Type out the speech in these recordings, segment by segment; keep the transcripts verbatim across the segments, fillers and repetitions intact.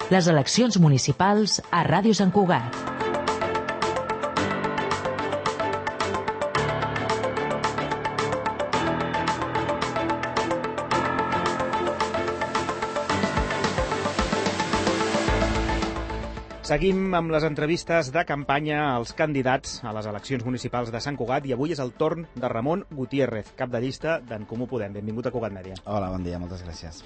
Les eleccions municipals a Ràdio Sant Cugat. Seguim amb les entrevistes de campanya als candidats a les eleccions municipals de Sant Cugat i avui és el torn de Ramon Gutiérrez, cap de llista d'en Comú Podem. Benvingut a Cugat Mèdia. Hola, bon dia, moltes gràcies.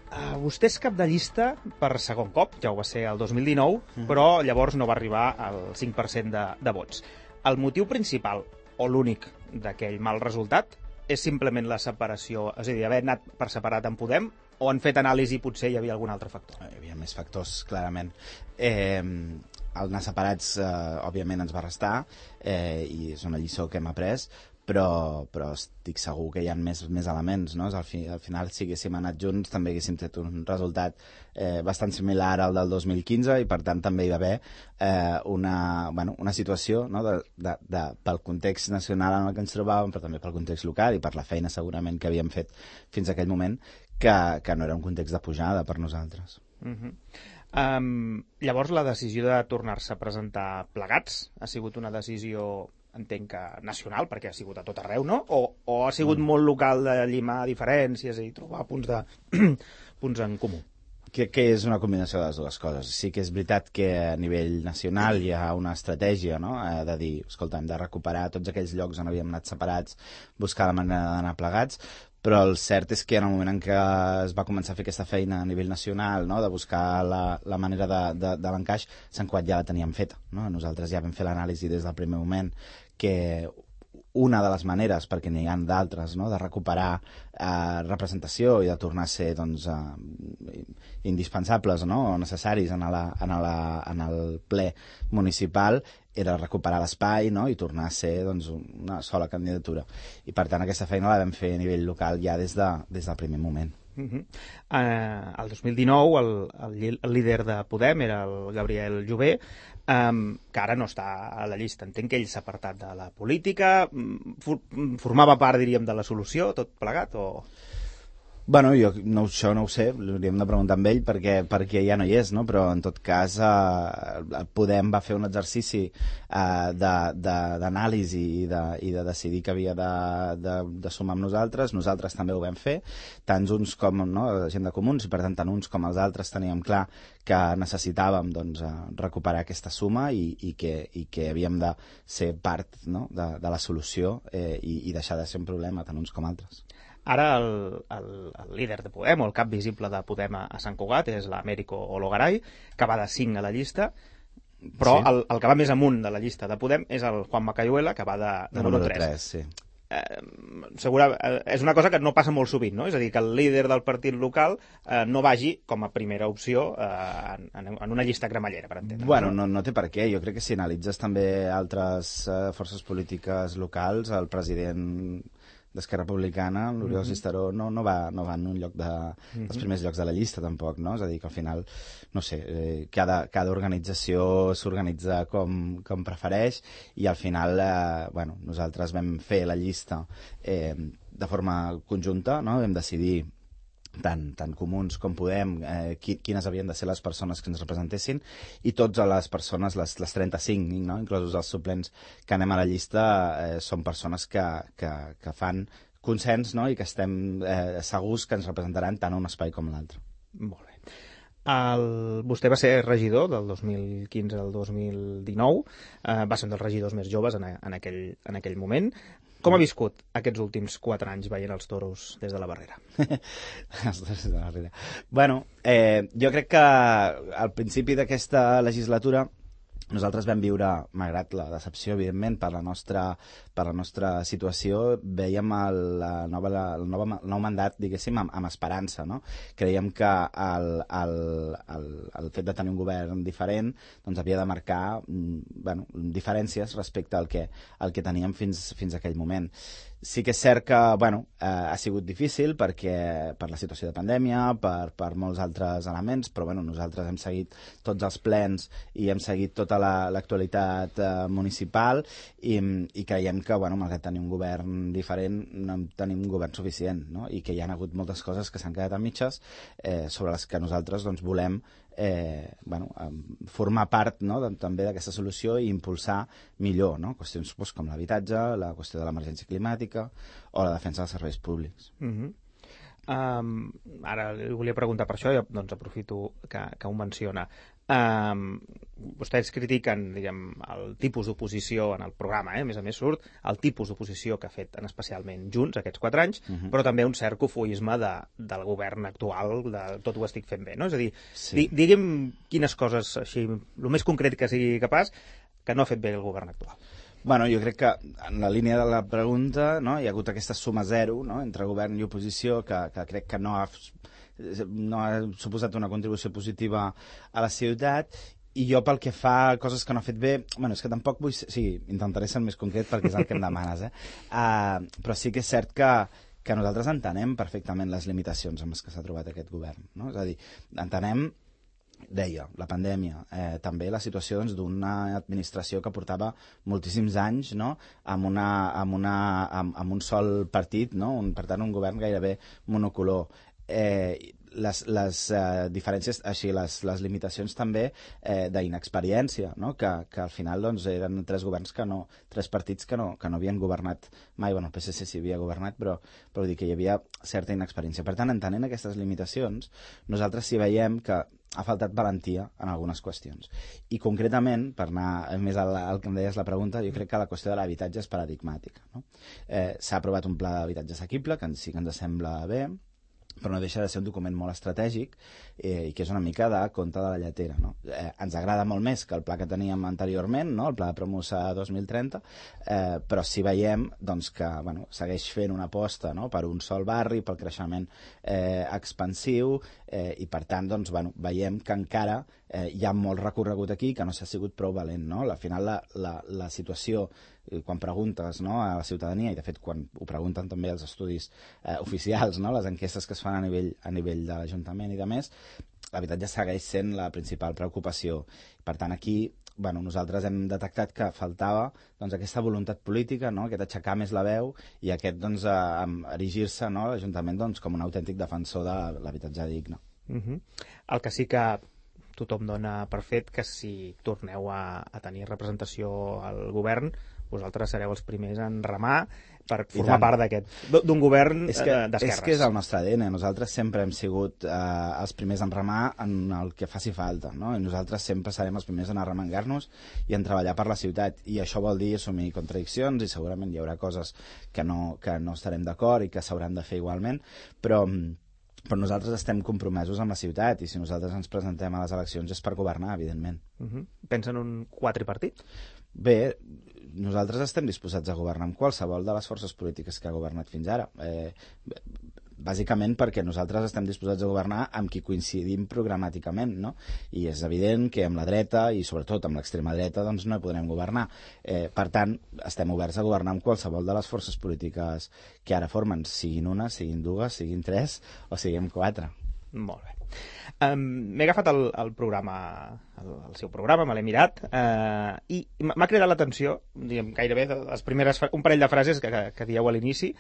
Uh, vostè és cap de llista per segon cop, ja ho va ser el dos mil dinou, mm. però llavors no va arribar al cinc per cent de, de vots. El motiu principal, o l'únic, d'aquell mal resultat és simplement la separació, és a dir, haver anat per separat en Podem, o han fet anàlisi i potser hi havia algun altre factor? Hi havia més factors, clarament. Eh, el anar separats, eh, òbviament, ens va restar, eh, i és una lliçó que hem après, però, però estic segur que hi ha més, més elements, no? Al, fi, al final, si haguéssim anat junts, també haguéssim tret un resultat eh, bastant similar al del dos mil quinze i, per tant, també hi va haver eh, una, bueno, una situació, no? de, de, de, pel context nacional en el que ens trobàvem, però també pel context local i per la feina, segurament, que havíem fet fins a aquell moment, que, que no era un context de pujada per nosaltres. Uh-huh. um, llavors, la decisió de tornar-se a presentar plegats ha sigut una decisió, entenc que nacional, perquè ha sigut a tot arreu, no? O, o ha sigut mm. molt local de llimar diferències i trobar punts, de, punts en comú? Que, que és una combinació de les dues coses. Sí que és veritat que a nivell nacional hi ha una estratègia, no? Eh, de dir, escolta, hem de recuperar tots aquells llocs on havíem anat separats, buscar la manera d'anar plegats, però el cert és que en el moment en què es va començar a fer aquesta feina a nivell nacional, no? De buscar la, la manera de, de, de l'encaix, Sant Cugat ja la teníem feta, no? Nosaltres ja vam fer l'anàlisi des del primer moment que una de les maneres, perquè n'hi ha d'altres, no? De recuperar eh, representació i de tornar a ser doncs, eh, indispensables, no? O necessaris en, la, en, la, en el ple municipal, era recuperar l'espai, no? I tornar a ser doncs, una sola candidatura. I per tant aquesta feina la vam fer a nivell local ja des, de, des del primer moment. Uh-huh. uh, el dos mil dinou el, el, el líder de Podem era el Gabriel Jové, um, que ara no està a la llista. Entenc que ell s'ha apartat de la política, for, formava part, diríem, de la solució, tot plegat, o...? Bueno, jo no, això no ho sé, l'hauríem de preguntar amb ell perquè, perquè ja no hi és, no? Però en tot cas eh, Podem va fer un exercici eh, d'anàlisi i, de, i de decidir que havia de, de, de sumar amb nosaltres. Nosaltres també ho vam fer, tant uns com, no, la gent de comuns, i per tant tant uns com els altres teníem clar que necessitàvem doncs, recuperar aquesta suma i, i, que, i que havíem de ser part, no, de, de la solució eh, i, i deixar de ser un problema tant uns com altres. Ara el, el, el líder de Podem, o el cap visible de Podem a, a Sant Cugat, és l'Américo Ologaray, que va de cinc a la llista, però sí. el, el que va més amunt de la llista de Podem és el Juan Macayuela, que va de, de número tres. Sí. Eh, segura, eh, és una cosa que no passa molt sovint, no? És a dir, que el líder del partit local eh, no vagi com a primera opció eh, en, en una llista cremallera, per entendre. Bueno, no, no té per què. Jo crec que si analitzes també altres eh, forces polítiques locals, el president d'Esquerra Republicana, l'Oriol mm-hmm. Cisteró, no, no, va, no va en un lloc de, mm-hmm. dels primers llocs de la llista, tampoc, no? És a dir, que al final, no sé, eh, cada, cada organització s'organitza com, com prefereix i al final, eh, bueno, nosaltres vam fer la llista eh, de forma conjunta, no? Vam decidir tant, tant comuns com Podem, eh, qui, quines havien de ser les persones que ens representessin i totes les persones, les, les trenta-cinc, no? Inclosos els suplents que anem a la llista, eh, són persones que, que, que fan consens, no? I que estem eh, segurs que ens representaran tant un espai com l'altre. Molt bé. El, vostè va ser regidor del dos mil quinze al dos mil dinou, eh, va ser un dels regidors més joves en, a, en, aquell, en aquell moment. Com ha viscut aquests últims quatre anys veient els toros des de la barrera? Els toros des de la barrera. Bueno, eh, jo crec que al principi d'aquesta legislatura nosaltres vam viure, malgrat la decepció, evidentment, per la nostra, per la nostra situació, veiem el, la nova, la, el, nova, el nou mandat, diguéssim, amb, amb esperança, no? Creiem que el, el, el, el fet de tenir un govern diferent doncs havia de marcar bueno, diferències respecte al que, al que teníem fins, fins a aquell moment. Sí que és cert que bueno, eh, ha sigut difícil perquè per la situació de pandèmia, per, per molts altres elements, però bueno, nosaltres hem seguit tots els plens i hem seguit tota l'actualitat la, eh, municipal i, i creiem que, bueno, malgrat tenir un govern diferent, no tenim un govern suficient, no? I que hi ha hagut moltes coses que s'han quedat a mitges eh, sobre les que nosaltres doncs, volem Eh, bueno, formar part, no, de, també d'aquesta solució i impulsar millor, no? Qüestions doncs, com l'habitatge, la qüestió de l'emergència climàtica o la defensa dels serveis públics. Mm-hmm. Um, ara li volia preguntar per això i doncs aprofito que, que ho menciona. Um, vostès critiquen, diguem, el tipus d'oposició en el programa, eh? A més a més surt el tipus d'oposició que ha fet en especialment Junts aquests quatre anys, uh-huh. però també un cert cofoisme de, del govern actual, de tot ho estic fent bé, no? És a dir, sí. di, diguem quines coses, així, el més concret que sigui capaç, que no ha fet bé el govern actual. Bueno, jo crec que en la línia de la pregunta, no, hi ha hagut aquesta suma zero, no, entre govern i oposició que, que crec que no ha, no ha suposat una contribució positiva a la ciutat, i jo pel que fa a coses que no ha fet bé, bueno, és que tampoc vull... Sí, intentaré ser més concret perquè és el que em demanes, eh? Uh, però sí que és cert que, que nosaltres entenem perfectament les limitacions amb les que s'ha trobat aquest govern, no? És a dir, entenem... deia, la pandèmia, eh, també la situació doncs, d'una administració que portava moltíssims anys, no? amb, una, amb, una, amb, amb un sol partit, no? un, per tant un govern gairebé monocolor. Eh, les, les eh, diferències, així, les, les limitacions també eh, d'inexperiència, no? que, que al final doncs, eren tres governs que no, tres partits que no, que no havien governat mai, bueno, el P S C sí havia governat, però, però vull dir que hi havia certa inexperiència. Per tant, entenent aquestes limitacions, nosaltres sí veiem que ha faltat valentia en algunes qüestions. I concretament, per anar més al, al que em deies la pregunta, jo crec que la qüestió de l'habitatge és paradigmàtica. No? Eh, S'ha aprovat un pla d'habitatge assequible, que sí que ens sembla bé, però no deixa de ser un document molt estratègic eh, i que és una mica de conte de la lletera. No? Eh, ens agrada molt més que el pla que teníem anteriorment, no? El pla de Promosa dos mil trenta, eh, però sí veiem doncs, que bueno, segueix fent una aposta, no? Per un sol barri, pel creixement eh, expansiu, eh, i per tant doncs, bueno, veiem que encara eh, hi ha molt recorregut aquí que no s'ha sigut prou valent. No? Al final la, la, la situació, quan preguntes, no, a la ciutadania, i de fet quan ho pregunten també els estudis eh, oficials, no, les enquestes que es fan a nivell, a nivell de l'Ajuntament i de més, l'habitatge segueix sent la principal preocupació. Per tant, aquí bueno, nosaltres hem detectat que faltava doncs, aquesta voluntat política, no, aquest aixecar més la veu i aquest doncs, erigir-se, no, l'Ajuntament doncs, com un autèntic defensor de l'habitatge digne. Uh-huh. El que sí que tothom dona per fet que si torneu a, a tenir representació al govern, vosaltres sereu els primers en remar per formar part d'aquest, d'un govern d'esquerres. És que és el nostre A D N. Nosaltres sempre hem sigut eh, els primers en remar en el que faci falta, no? I nosaltres sempre serem els primers en arremangar-nos i en treballar per la ciutat. I això vol dir assumir contradiccions i segurament hi haurà coses que no, que no estarem d'acord i que s'hauran de fer igualment, però... però nosaltres estem compromesos amb la ciutat i si nosaltres ens presentem a les eleccions és per governar, evidentment. Uh-huh. Pensa en un quadripartit? Bé, nosaltres estem disposats a governar amb qualsevol de les forces polítiques que ha governat fins ara. Eh, bàsicament perquè nosaltres estem disposats a governar amb qui coincidim programàticament, no? I és evident que amb la dreta i sobretot amb l'extrema dreta doncs no hi podrem governar. Eh, per tant, estem oberts a governar amb qualsevol de les forces polítiques que ara formen, siguin una, siguin dues, siguin tres o siguin quatre. Molt bé. Um, M'he agafat el, el programa, el, el seu programa, me l'he mirat, uh, i m'ha cridat l'atenció, diguem, gairebé les primeres, un parell de frases que, que, que dieu a l'inici,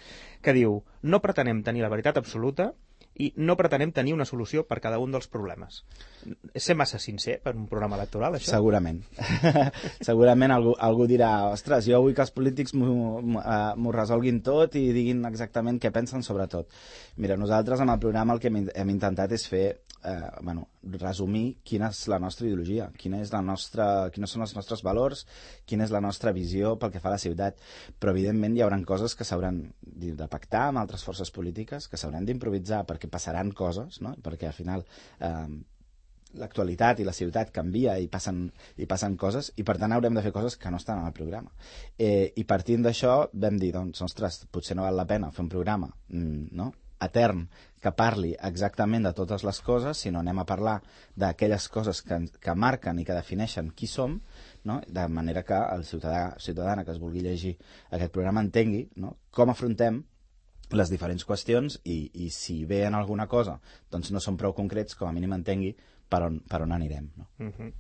que diu: no pretenem tenir la veritat absoluta i no pretenem tenir una solució per cada un dels problemes. És ser massa sincer per un programa electoral, això? Segurament. Segurament algú, algú dirà: ostres, jo vull que els polítics m'ho resolguin tot i diguin exactament què pensen sobre tot. Mira, nosaltres amb el programa el que hem, hem intentat és fer, eh, bueno, resumir quina és la nostra ideologia, quina és la nostra, quins són els nostres valors, quina és la nostra visió pel que fa a la ciutat. Però evidentment hi haurà coses que s'hauran de pactar amb altres forces polítiques, que s'hauran d'improvisar perquè passaran coses, no? Perquè al final eh, l'actualitat i la ciutat canvia i passen, i passen coses i per tant haurem de fer coses que no estan en el programa. Eh, I partint d'això vam dir, doncs, ostres, potser no val la pena fer un programa, mm, no? etern, que parli exactament de totes les coses, sinó anem a parlar d'aquelles coses que, que marquen i que defineixen qui som, no? De manera que el ciutadà ciutadana que es vulgui llegir aquest programa entengui, no? Com afrontem les diferents qüestions i, i si ve en alguna cosa doncs no són prou concrets, com a mínim entengui per on, per on anirem, no? Uh-huh.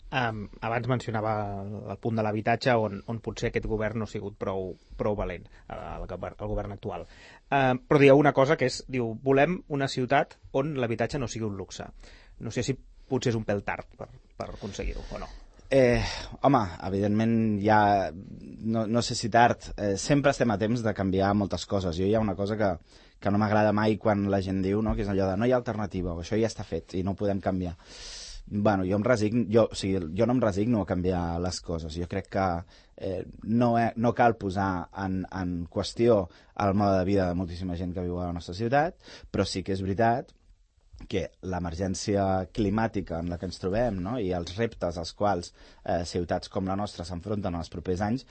Um, abans mencionava el, el punt de l'habitatge on, on potser aquest govern no ha sigut prou, prou valent, el, el govern actual. Uh, però dieu una cosa que és, diu, volem una ciutat on l'habitatge no sigui un luxe. No sé si potser és un pèl tard per, per aconseguir-ho o no. Eh, home, evidentment ja, no, no sé si tard, eh, sempre estem a temps de canviar moltes coses. Jo hi ha una cosa que, que no m'agrada mai quan la gent diu, no? Que és allò de no hi ha alternativa, o això ja està fet i no ho podem canviar. Bueno, jo em resigno, jo, o sigui, jo no em resigno a canviar les coses. Jo crec que eh, no, he, no cal posar en, en qüestió el mode de vida de moltíssima gent que viu a la nostra ciutat, però sí que és veritat que l'emergència climàtica en la que ens trobem, no? I els reptes als quals eh, ciutats com la nostra s'enfronten en els propers anys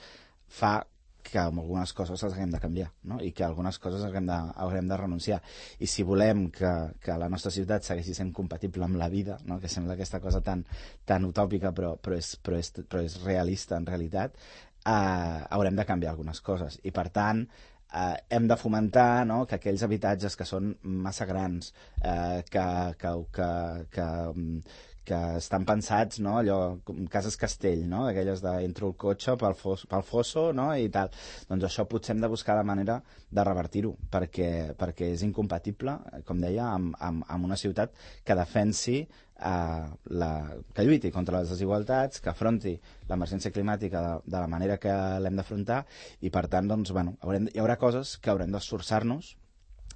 fa que algunes coses les haguem de canviar, no? I que algunes coses haguem de, haguem de renunciar. I si volem que, que la nostra ciutat segueixi sent compatible amb la vida, no? Que sembla aquesta cosa tan, tan utòpica però, però, és, però, és, però és realista en realitat, eh, haurem de canviar algunes coses. I per tant, eh, hem de fomentar, no? Que aquells habitatges que són massa grans, eh, que, que, que, que, que estan pensats, no? Allò, com cases castell, no? D'aquelles de entro el cotxe pel, fos, pel fosso, no? I tal. Doncs això potser hem de buscar la manera de revertir-ho, perquè, perquè és incompatible, com deia, amb, amb, amb una ciutat que defensi, eh, la, que lluiti contra les desigualtats, que afronti l'emergència climàtica de, de la manera que l'hem d'afrontar, i per tant, doncs, bueno, haurem, hi haurà coses que haurem d'esforçar-nos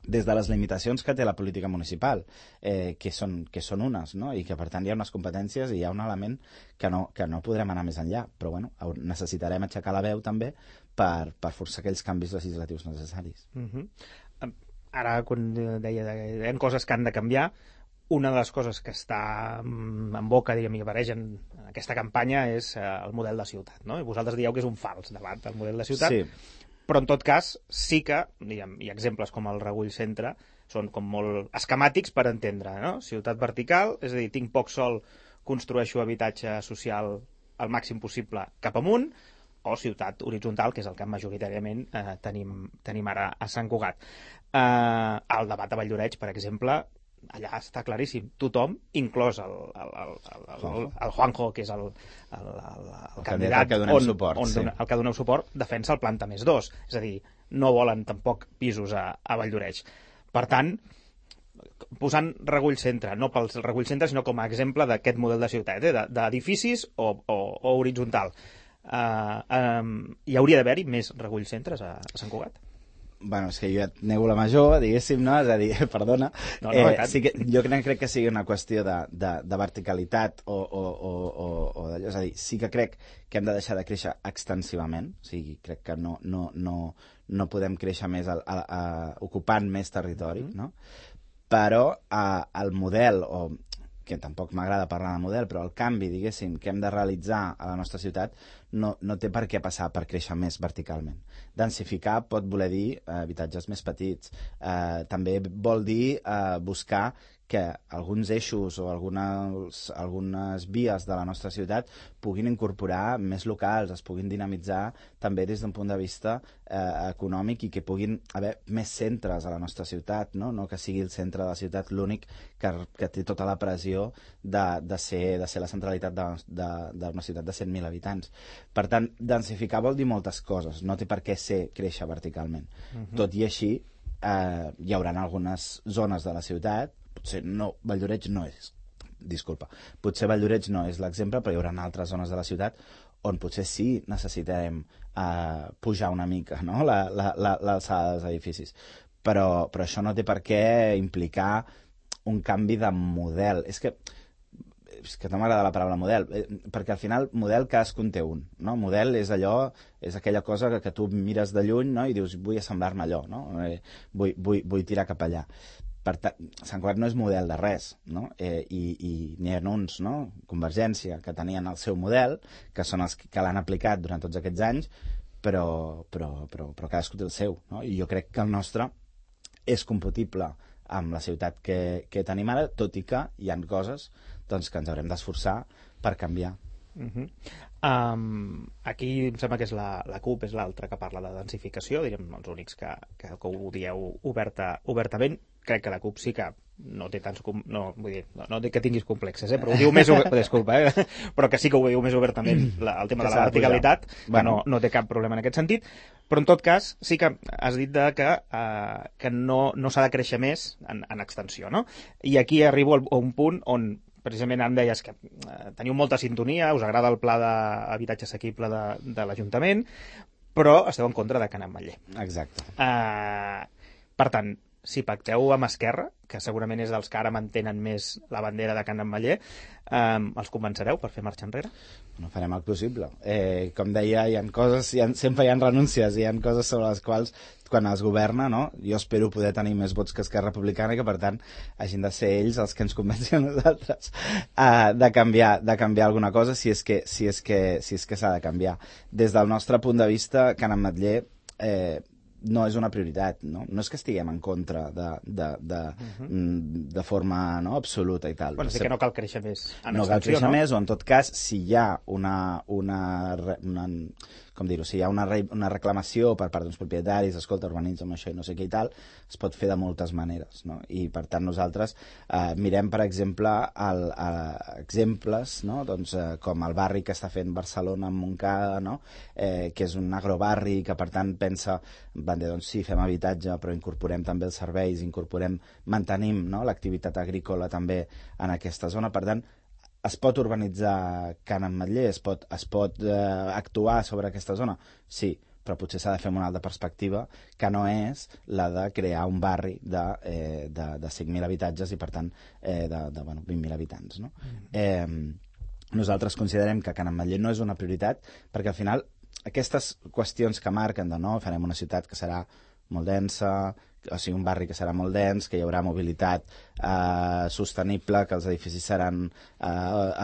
des de les limitacions que té la política municipal, eh, que, són, que són unes, no? I que per tant hi ha unes competències i hi ha un element que no, que no podrem anar més enllà, però bueno, necessitarem aixecar la veu també per, per forçar aquells canvis legislatius necessaris. Uh-huh. Ara, quan deia que hi ha coses que han de canviar, una de les coses que està en boca, diríem, i apareix en aquesta campanya és el model de ciutat, no? I vosaltres dieu que és un fals debat, el model de ciutat. Sí. Però en tot cas sí que, diguem, i exemples com el Regull Centre són com molt esquemàtics per entendre, no? Ciutat vertical, és a dir, tinc poc sol, construeixo habitatge social al màxim possible cap amunt, o ciutat horitzontal, que és el que majoritàriament eh, tenim, tenim ara a Sant Cugat. Eh, el debat a Valldoreix, per exemple, allà està claríssim, tothom, inclòs el, el, el, el, el, el Juanjo, que és el, el, el, el candidat que donem on, suport, on sí. dona, el que doneu suport, defensa el planta més dos, és a dir, no volen tampoc pisos a, a Valldoreix. Per tant, posant Regull Centre, no pels Regull Centre, sinó com a exemple d'aquest model de ciutat, eh, d'edificis o, o, o horitzontal. Uh, um, hi hauria d'haver-hi més Regull Centres a, a Sant Cugat? Bueno, és que jo et nego la major, diguéssim, no? És a dir, perdona. No, no, eh, sí que, jo crec, crec que sigui una qüestió de, de, de verticalitat o, o, o, o, o d'allò. És a dir, sí que crec que hem de deixar de créixer extensivament. O sigui, crec que no, no, no, no podem créixer més a, a, a, ocupant més territori, mm-hmm. no? Però a, el model, o que tampoc m'agrada parlar de model, però el canvi, diguéssim, que hem de realitzar a la nostra ciutat no, no té per què passar per créixer més verticalment. Densificar pot voler dir eh, habitatges més petits. Eh, també vol dir eh, buscar que alguns eixos o algunes, algunes vies de la nostra ciutat puguin incorporar més locals, es puguin dinamitzar també des d'un punt de vista eh, econòmic i que puguin haver més centres a la nostra ciutat, no, no que sigui el centre de la ciutat l'únic que, que té tota la pressió de, de, ser, de ser la centralitat d'una ciutat de cent mil habitants. Per tant, densificar vol dir moltes coses, no té per què ser créixer verticalment. Uh-huh. Tot i així, eh, hi haurà algunes zones de la ciutat, potser no, Valldoreix no és, disculpa, potser Valldoreix no és l'exemple, però hi haurà altres zones de la ciutat on potser sí necessitarem eh, pujar una mica, no? l'alçada la, la, dels edificis. Però, però això no té per què implicar un canvi de model. És que és que no m'agrada la paraula model, eh, perquè al final model cadascun té un, no? Model és allò, és aquella cosa que, que tu mires de lluny, no? I dius, vull assemblar-me allò, no? Eh, vull, vull, vull tirar cap allà. Per tant, Sant Cugat no és model de res, no? Eh, i, i n'hi ha uns, no? Convergència, que tenien el seu model, que són els que l'han aplicat durant tots aquests anys, però, però, però, però cadascú té el seu, no? I jo crec que el nostre és compatible amb la ciutat que, que tenim ara, tot i que hi ha coses doncs, que ens haurem d'esforçar per canviar. Uh-huh. Um, aquí em sembla que és la, la CUP és l'altra que parla de densificació, diríem els únics que, que, que ho dieu oberta, obertament. Crec que la CUP sí que no té tants... No, vull dir, no, no dic que tinguis complexes, eh, però ho diu més... Disculpa, eh, però que sí que ho diu més obertament la, el tema de la verticalitat, que bueno. no, no té cap problema en aquest sentit. Però en tot cas sí que has dit de que, uh, que no, no s'ha de créixer més en, en extensió, no? I aquí arribo a un punt on precisament em deies que eh, teniu molta sintonia, us agrada el pla d'habitatge assequible de, de l'Ajuntament, però esteu en contra de Can Ametller. Exacte. Uh, per tant, si pacteu amb Esquerra, que segurament és dels que ara mantenen més la bandera de Can Ametller, um, els convencereu per fer marxa enrere? No farem el possible. Eh, com deia, hi ha coses, hi ha, sempre hi ha renúncies, hi ha coses sobre les quals quan es governa, no? Jo espero poder tenir més vots que Esquerra Republicana i que, per tant, hagin de ser ells els que ens convencin a nosaltres uh, de, canviar, de canviar alguna cosa si és que si és que, si és que s'ha de canviar. Des del nostre punt de vista, Can Ametller eh, no és una prioritat, no? No és que estiguem en contra de, de, de, uh-huh. de forma no, absoluta i tal. Bueno, sí que no cal créixer més en no extensió, cal créixer no? més, o en tot cas, si hi ha una, una, una com dir-ho, si hi ha una, re, una reclamació per part d'uns propietaris, escolta, urbanitza'm això i no sé què i tal, es pot fer de moltes maneres, no? I per tant nosaltres eh, mirem, per exemple, el, el, exemples, no? Doncs, eh, com el barri que està fent Barcelona amb Montcada, no? eh, que és un agrobarri que per tant pensa, van dir, doncs sí, fem habitatge, però incorporem també els serveis, incorporem, mantenim no? l'activitat agrícola també en aquesta zona, per tant, es pot urbanitzar Can Ametller, es pot, es pot eh, actuar sobre aquesta zona? Sí, però potser s'ha de fer una altra perspectiva que no és la de crear un barri de, eh, de, de cinc mil habitatges i, per tant, eh, de, de bueno, vint mil habitants. No? Mm. Eh, nosaltres considerem que Can Ametller no és una prioritat perquè, al final, aquestes qüestions que marquen de no, farem una ciutat que serà molt densa, o sigui, un barri que serà molt dens, que hi haurà mobilitat eh, sostenible, que els edificis seran eh,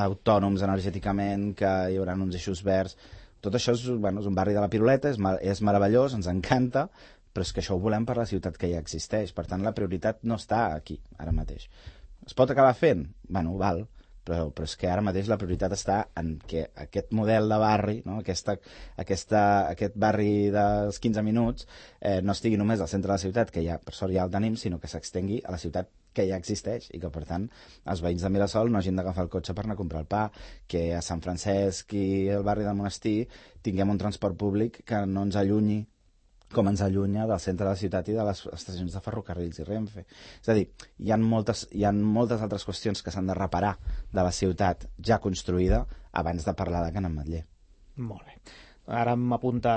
autònoms energèticament, que hi haurà uns eixos verds. Tot això és, bueno, és un barri de la Piruleta, és, és meravellós, ens encanta, però és que això ho volem per la ciutat que ja existeix. Per tant, la prioritat no està aquí, ara mateix. Es pot acabar fent? Bueno, val, però, però és que ara mateix la prioritat està en que aquest model de barri, no? aquesta, aquesta, aquest barri dels quinze minuts, eh, no estigui només al centre de la ciutat, que ja per sort ja el tenim, sinó que s'extengui a la ciutat que ja existeix i que, per tant, els veïns de Mirasol no hagin d'agafar el cotxe per anar a comprar el pa, que a Sant Francesc i el barri del Monestir tinguem un transport públic que no ens allunyi com ens allunya del centre de la ciutat i de les estacions de ferrocarrils i Renfe. És a dir, hi ha moltes, hi ha moltes altres qüestions que s'han de reparar de la ciutat ja construïda abans de parlar de Can Ametller. Molt bé. Ara m'apunta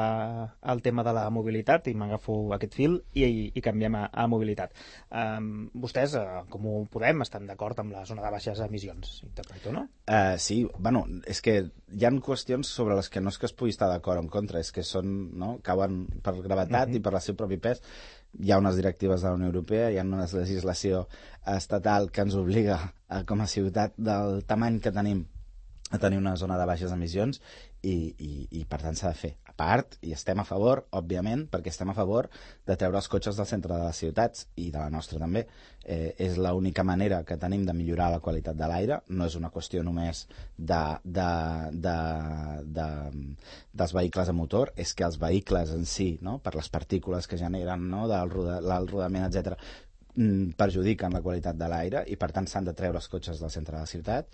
el tema de la mobilitat i m'agafo aquest fil i, i canviem a, a mobilitat. Um, vostès, uh, com ho podem, estan d'acord amb la zona de baixes emissions, interpreto, no? Uh, sí, bueno, és que hi ha qüestions sobre les que no és que es pugui estar d'acord o en contra, és que són, no, cauen per gravetat uh-huh. i per el seu propi pes. Hi ha unes directives de la Unió Europea, hi ha una legislació estatal que ens obliga, a, com a ciutat del tamany que tenim, a tenir una zona de baixes emissions i, i, i per tant s'ha de fer. A part, i estem a favor, òbviament, perquè estem a favor de treure els cotxes del centre de les ciutats i de la nostra també. Eh, és l'única manera que tenim de millorar la qualitat de l'aire, no és una qüestió només de, de, de, de, dels vehicles a motor, és que els vehicles en si, no, per les partícules que generen, no, del roda, el rodament, etcètera, perjudiquen la qualitat de l'aire i per tant s'han de treure els cotxes del centre de la ciutat.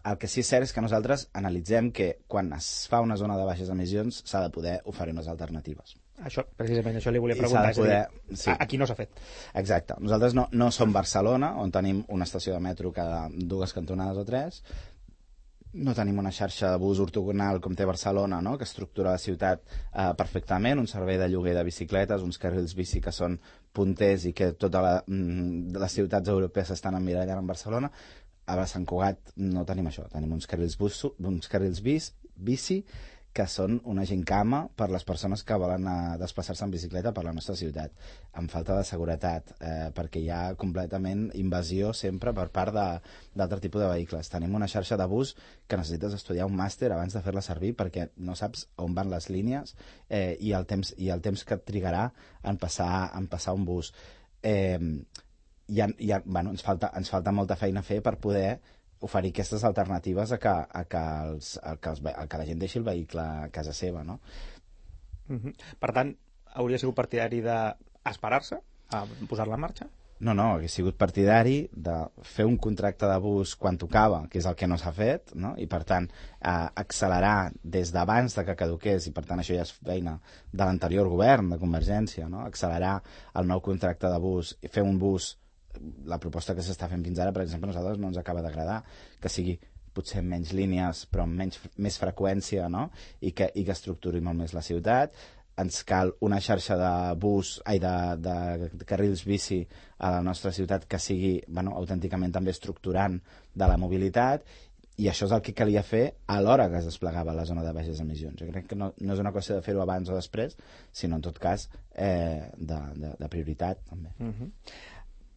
El que sí és cert és que nosaltres analitzem que quan es fa una zona de baixes emissions s'ha de poder oferir unes alternatives. Això, precisament, això li volia preguntar. Poder, és a dir, sí. Aquí no s'ha fet. Exacte. Nosaltres no, no som Barcelona, on tenim una estació de metro cada dues cantonades o tres. No tenim una xarxa de bus ortogonal com té Barcelona, no? Que estructura la ciutat eh, perfectament, un servei de lloguer de bicicletes, uns carrils bici que són punters i que totes la, les ciutats europees s'estan emmirallant en Barcelona. A Sant Cugat no tenim això, tenim uns carrils, bus, uns carrils bis, bici que són una gincama per les persones que volen desplaçar-se en bicicleta per la nostra ciutat, amb falta de seguretat, eh, perquè hi ha completament invasió sempre per part d'altre tipus de vehicles. Tenim una xarxa de bus que necessites estudiar un màster abans de fer-la servir perquè no saps on van les línies eh, i, el temps, i el temps que et trigarà en passar, en passar un bus. Eh, hi ha, hi ha, bueno, ens, falta, ens falta molta feina a fer per poder oferir aquestes alternatives a que, a que, els, a que, els, a que la gent deixi el vehicle a casa seva, no? Mm-hmm. Per tant, hauria sigut partidari d'esperar-se a posar-la en marxa? No, no, hauria sigut partidari de fer un contracte de bus quan tocava, que és el que no s'ha fet, no? I per tant eh, accelerar des d'abans de que caduqués, i per tant això ja és feina de l'anterior govern de Convergència, no? Accelerar el nou contracte de bus i fer un bus, la proposta que s'està fent fins ara, per exemple, a nosaltres no ens acaba d'agradar, que sigui potser menys línies però amb menys, més freqüència, no? I que, i que estructuri molt més la ciutat. Ens cal una xarxa de bus, ai, de, de, de carrils bici a la nostra ciutat que sigui, bueno, autènticament també estructurant de la mobilitat, i això és el que calia fer a l'hora que es desplegava la zona de baixes emissions. Jo crec que no, no és una qüestió de fer-ho abans o després, sinó en tot cas eh, de, de, de prioritat també. Mm-hmm.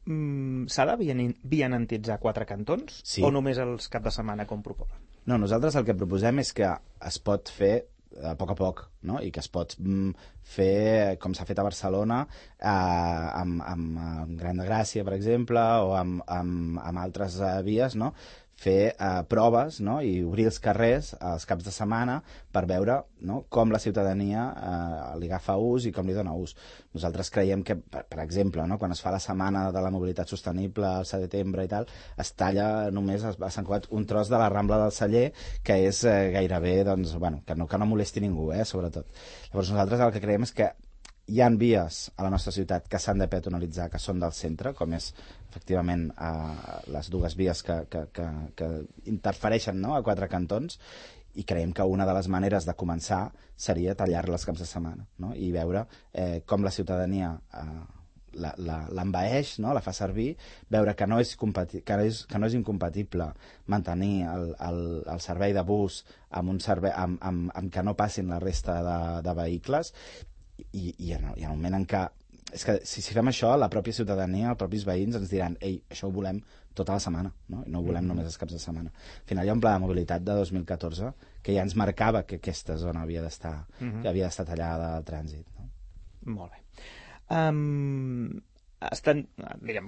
Mm, s'ha de vianantitzar quatre cantons, sí, o només els cap de setmana com proposen? No, nosaltres el que proposem és que es pot fer a poc a poc, no? I que es pot mm, fer com s'ha fet a Barcelona, eh, amb, amb, amb Gran de Gràcia, per exemple, o amb, amb, amb altres eh, vies, no? Fer eh, proves, no? I obrir els carrers els caps de setmana per veure, no? Com la ciutadania eh, li agafa ús i com li dona ús. Nosaltres creiem que, per, per exemple, no? Quan es fa la setmana de la mobilitat sostenible al setembre i tal, es talla només a Sant Cugat un tros de la Rambla del Celler, que és eh, gairebé, doncs, bueno, que no, que no molesti ningú, eh, sobretot. Llavors nosaltres el que creiem és que hi ha vies a la nostra ciutat que s'han de peatonalitzar, que són del centre, com és efectivament eh, les dues vies que, que, que, que interfereixen, no?, a quatre cantons, i creiem que una de les maneres de començar seria tallar-les caps de setmana, no?, i veure eh, com la ciutadania eh, l'envaeix, no?, la fa servir, veure que no és, que és, que no és incompatible mantenir el, el, el servei de bus amb, un servei, amb, amb, amb que no passin la resta de, de vehicles. I, i, en, i en el moment en què és que si, si fem això, la pròpia ciutadania, els propis veïns ens diran, ei, això ho volem tota la setmana, no? I no ho volem només els caps de setmana. Al final hi ha un pla de mobilitat de dos mil catorze que ja ens marcava que aquesta zona havia d'estar uh-huh. que havia d'estar tallada del trànsit, no? Molt bé. Um, estan, diguem,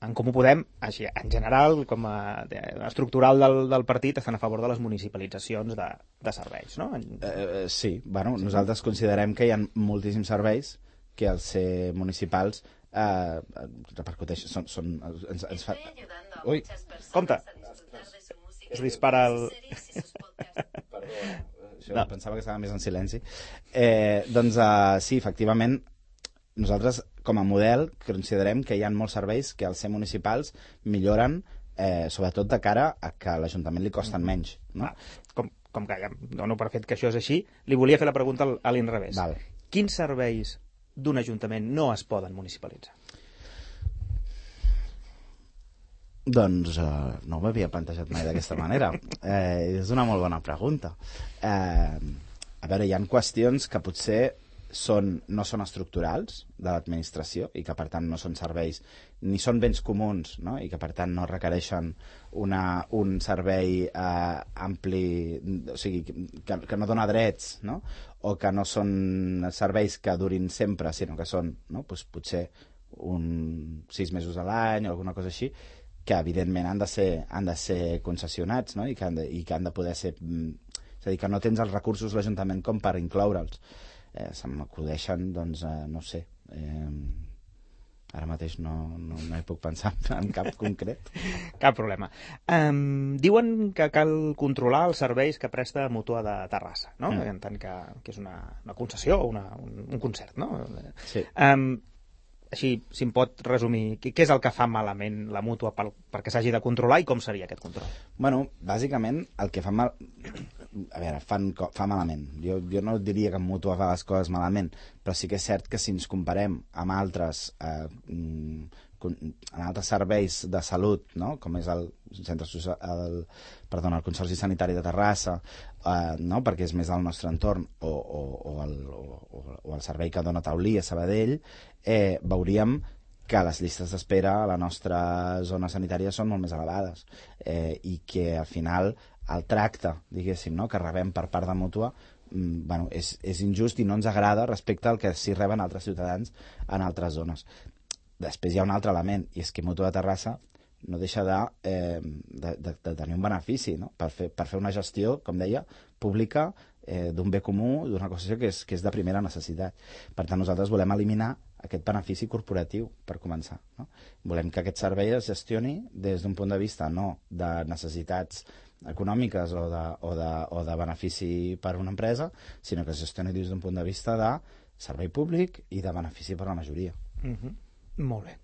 en Comú Podem, així, en general, com a estructural del, del partit, estan a favor de les municipalitzacions de, de serveis, no? Eh, sí, bueno, sí. Nosaltres considerem que hi ha moltíssims serveis que al ser municipals eh, repercuteixen, són, són, ens, ens fa... Ui, compte! Es dispara el... Perdó, això no. Pensava que estava més en silenci. Eh, doncs eh, sí, efectivament, nosaltres com a model considerem que hi ha molts serveis que al ser municipals milloren, eh, sobretot de cara a que a l'Ajuntament li costen menys, no? Ah, com, com que ja dono per fet que això és així, li volia fer la pregunta a l'inrevés. Val. Quins serveis d'un ajuntament no es poden municipalitzar? Doncs eh, no m'havia plantejat mai d'aquesta manera. Eh, és una molt bona pregunta. Eh, a veure, hi ha qüestions que potser són, no són estructurals de l'administració i que per tant no són serveis ni són béns comuns, no? I que per tant no requereixen una, un servei eh, ampli, o sigui, que, que no dona drets, no? O que no són serveis que durin sempre, sinó que són, no? Pues, potser un sis mesos a l'any o alguna cosa així, que evidentment han de ser, han de ser concessionats, no? I, que han de, i que han de poder ser... És a dir, que no tens els recursos l'Ajuntament com per incloure'ls. Eh, se m'acudeixen, doncs, eh, no sé, eh, ara mateix no, no, no hi puc pensar en cap concret. Cap problema. Um, diuen que cal controlar els serveis que presta Mútua de Terrassa, no? Mm. En tant que, que és una, una concessió o una, un, un concert, no? Sí. Um, així, si em pot resumir, què és el que fa malament la Mútua per, perquè s'hagi de controlar i com seria aquest control? Bueno, bàsicament el que fa mal... A veure, fan, fa malament. Jo, jo no diria que en Mútua fa les coses malament, però sí que és cert que si ens comparem amb altres, eh, amb altres serveis de salut, no? Com és el, centre, el, perdona, el Consorci Sanitari de Terrassa, eh, no? Perquè és més al nostre entorn, o, o, o, el, o, o el servei que dona Taulí a Sabadell, eh, veuríem que les llistes d'espera a la nostra zona sanitària són molt més elevades eh, i que al final el tracte, diguéssim, no? Que rebem per part de Mútua mm, bueno, és, és injust i no ens agrada respecte al que sí reben altres ciutadans en altres zones. Després hi ha un altre element, i és que Mútua de Terrassa no deixa de, eh, de, de, de tenir un benefici, no? per, fer, per fer una gestió, com deia, pública eh, d'un bé comú, d'una qüestió que és, que és de primera necessitat. Per tant, nosaltres volem eliminar aquest benefici corporatiu, per començar. No? Volem que aquest servei es gestioni des d'un punt de vista no de necessitats econòmiques o de, o, de, o de benefici per a una empresa, sinó que es gestioni des d'un punt de vista de servei públic i de benefici per a la majoria. Mm-hmm. Molt bé.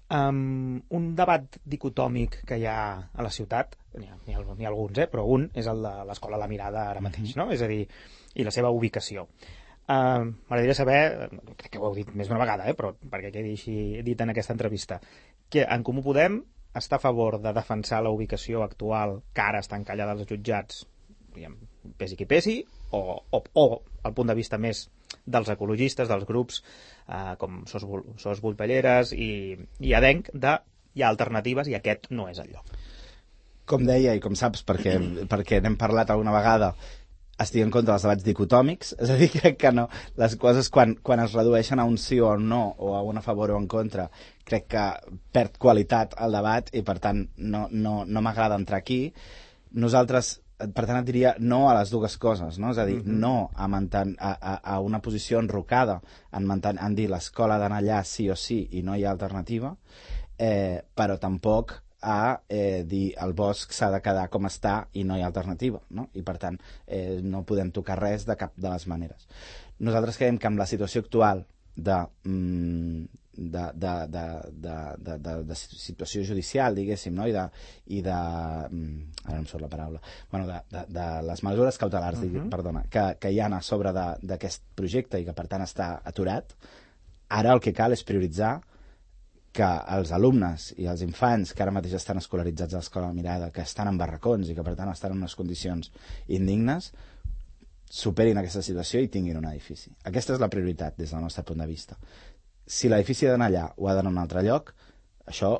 Um, un debat dicotòmic que hi ha a la ciutat, n'hi ha, n'hi ha, n'hi ha alguns, eh? Però un és el de l'Escola La Mirada ara mateix, no? És a dir, i la seva ubicació. Uh, M'agradaria saber, crec que ho heu dit més d'una vegada, eh? Però perquè quedi així dit en aquesta entrevista, que en Comú Podem està a favor de defensar la ubicació actual que ara està encallada als jutjats, diguem, pesi qui pesi, o, o, o el punt de vista més dels ecologistes, dels grups eh, com Sos, Sos Volpelleres i, i Adenc, de hi ha alternatives i aquest no és el lloc. Com deia, i com saps, perquè, perquè n'hem parlat alguna vegada, estic en contra dels debats dicotòmics, és a dir, crec que no, les coses quan, quan es redueixen a un sí o un no, o a un a favor o en contra, crec que perd qualitat el debat i per tant no, no, no m'agrada entrar aquí. Nosaltres, per tant, et diria no a les dues coses, no? És a dir, mm-hmm. no a, manten, a, a, a una posició enrocada en, manten, en dir l'escola d'anar allà sí o sí i no hi ha alternativa, eh, però tampoc a eh, dir el bosc s'ha de quedar com està i no hi ha alternativa, no? I per tant eh, no podem tocar res de cap de les maneres. Nosaltres creiem que amb la situació actual de, mm, de, de, de, de, de, de, de situació judicial, diguéssim, no? I de, i de mm, ara no em surt la paraula, bueno, de, de, de les mesures cautelars, uh-huh. digui, perdona, que, que hi ha a sobre d'aquest projecte i que per tant està aturat, ara el que cal és prioritzar que els alumnes i els infants que ara mateix estan escolaritzats a l'Escola Mirada, que estan en barracons i que per tant estan en unes condicions indignes, superin aquesta situació i tinguin un edifici. Aquesta és la prioritat des del nostre punt de vista. Si l'edifici ha d'anar allà o ha d'anar a un altre lloc, això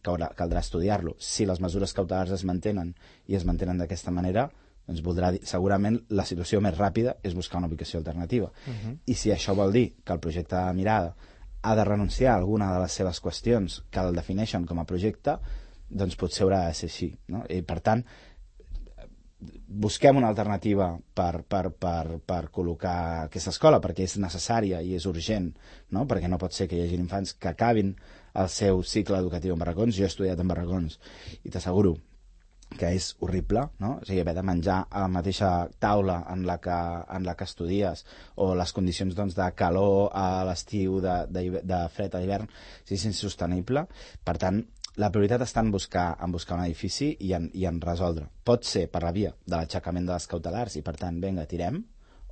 caldrà, caldrà estudiar-lo. Si les mesures cautelars es mantenen i es mantenen d'aquesta manera, doncs voldrà dir, segurament la situació més ràpida és buscar una ubicació alternativa. Uh-huh. I si això vol dir que el projecte de Mirada ha de renunciar a alguna de les seves qüestions que el defineixen com a projecte, doncs potser haurà de ser així, no? I per tant, busquem una alternativa per, per, per, per col·locar aquesta escola, perquè és necessària i és urgent, no? Perquè no pot ser que hi hagi infants que acabin el seu cicle educatiu en barracons. Jo he estudiat en barracons i t'asseguro que és horrible, no? O sigui, haver de menjar a la mateixa taula en la que, en la que estudies, o les condicions doncs, de calor a l'estiu, de, de, de fred a l'hivern, és insostenible. Per tant, la prioritat està en buscar, en buscar un edifici i en, i en resoldre. Pot ser per la via de l'aixecament de les cautelars i per tant, vinga, tirem,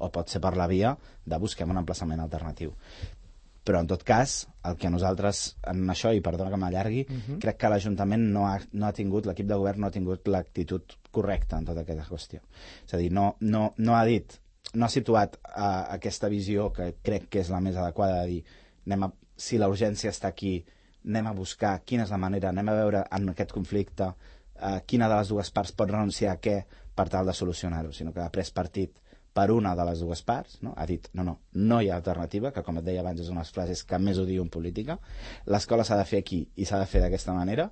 o pot ser per la via de busquem un emplaçament alternatiu. Però en tot cas, el que nosaltres en això, i perdona que m'allargui, uh-huh. crec que l'Ajuntament no ha, no ha tingut, l'equip de govern no ha tingut l'actitud correcta en tota aquesta qüestió. És a dir, no, no, no ha dit, no ha situat uh, aquesta visió que crec que és la més adequada de dir, anem a, si la urgència està aquí, anem a buscar quina és la manera, anem a veure en aquest conflicte eh, quina de les dues parts pot renunciar a què per tal de solucionar-ho, sinó que ha pres partit per una de les dues parts, no? Ha dit, no, no, no hi ha alternativa, que com et deia abans és una de les frases que més odio en política, l'escola s'ha de fer aquí i s'ha de fer d'aquesta manera,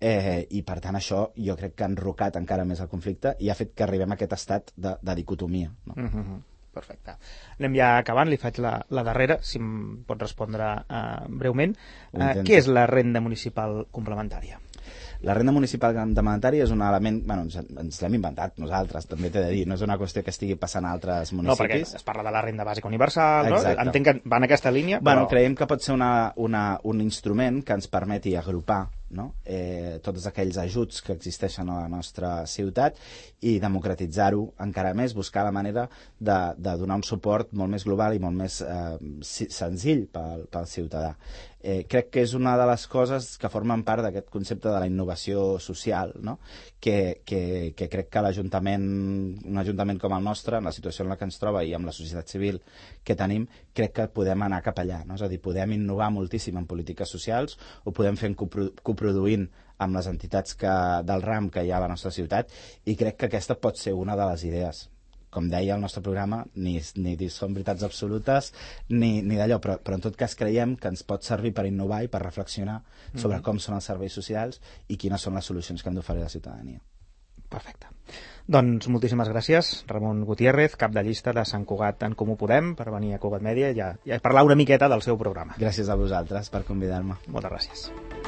eh, i per tant això jo crec que ha enrocat encara més el conflicte i ha fet que arribem a aquest estat de, de dicotomia, no? Mm-hmm. Perfecte. Anem ja acabant, li faig la, la darrera, si em pot respondre uh, breument. Uh, què és la renda municipal complementària? La renda municipal complementària és un element... Bueno, ens, ens l'hem inventat nosaltres, també t'he de dir. No és una qüestió que estigui passant a altres municipis. No, perquè es parla de la renda bàsica universal, no? Entenc que va en aquesta línia, però... Bueno, creiem que pot ser una, una, un instrument que ens permeti agrupar, no? eh, tots aquells ajuts que existeixen a la nostra ciutat i democratitzar-ho encara més, buscar la manera de, de donar un suport molt més global i molt més eh, senzill pel, pel ciutadà. Eh, crec que és una de les coses que formen part d'aquest concepte de la innovació social, no? que, que, que crec que l'Ajuntament, un ajuntament com el nostre, en la situació en la que ens troba i amb la societat civil que tenim, crec que podem anar cap allà, no? És a dir, podem innovar moltíssim en polítiques socials, ho podem fer en coproduint amb les entitats que, del RAM que hi ha a la nostra ciutat, i crec que aquesta pot ser una de les idees. com deia el nostre programa, ni, ni són veritats absolutes ni, ni d'allò, però, però en tot cas creiem que ens pot servir per innovar i per reflexionar sobre mm-hmm. com són els serveis socials i quines són les solucions que hem d'oferir a la ciutadania. Perfecte. Doncs moltíssimes gràcies, Ramon Gutiérrez, cap de llista de Sant Cugat en Comú Podem, per venir a Cugat Mèdia i a, i a parlar una miqueta del seu programa. Gràcies a vosaltres per convidar-me. Moltes gràcies.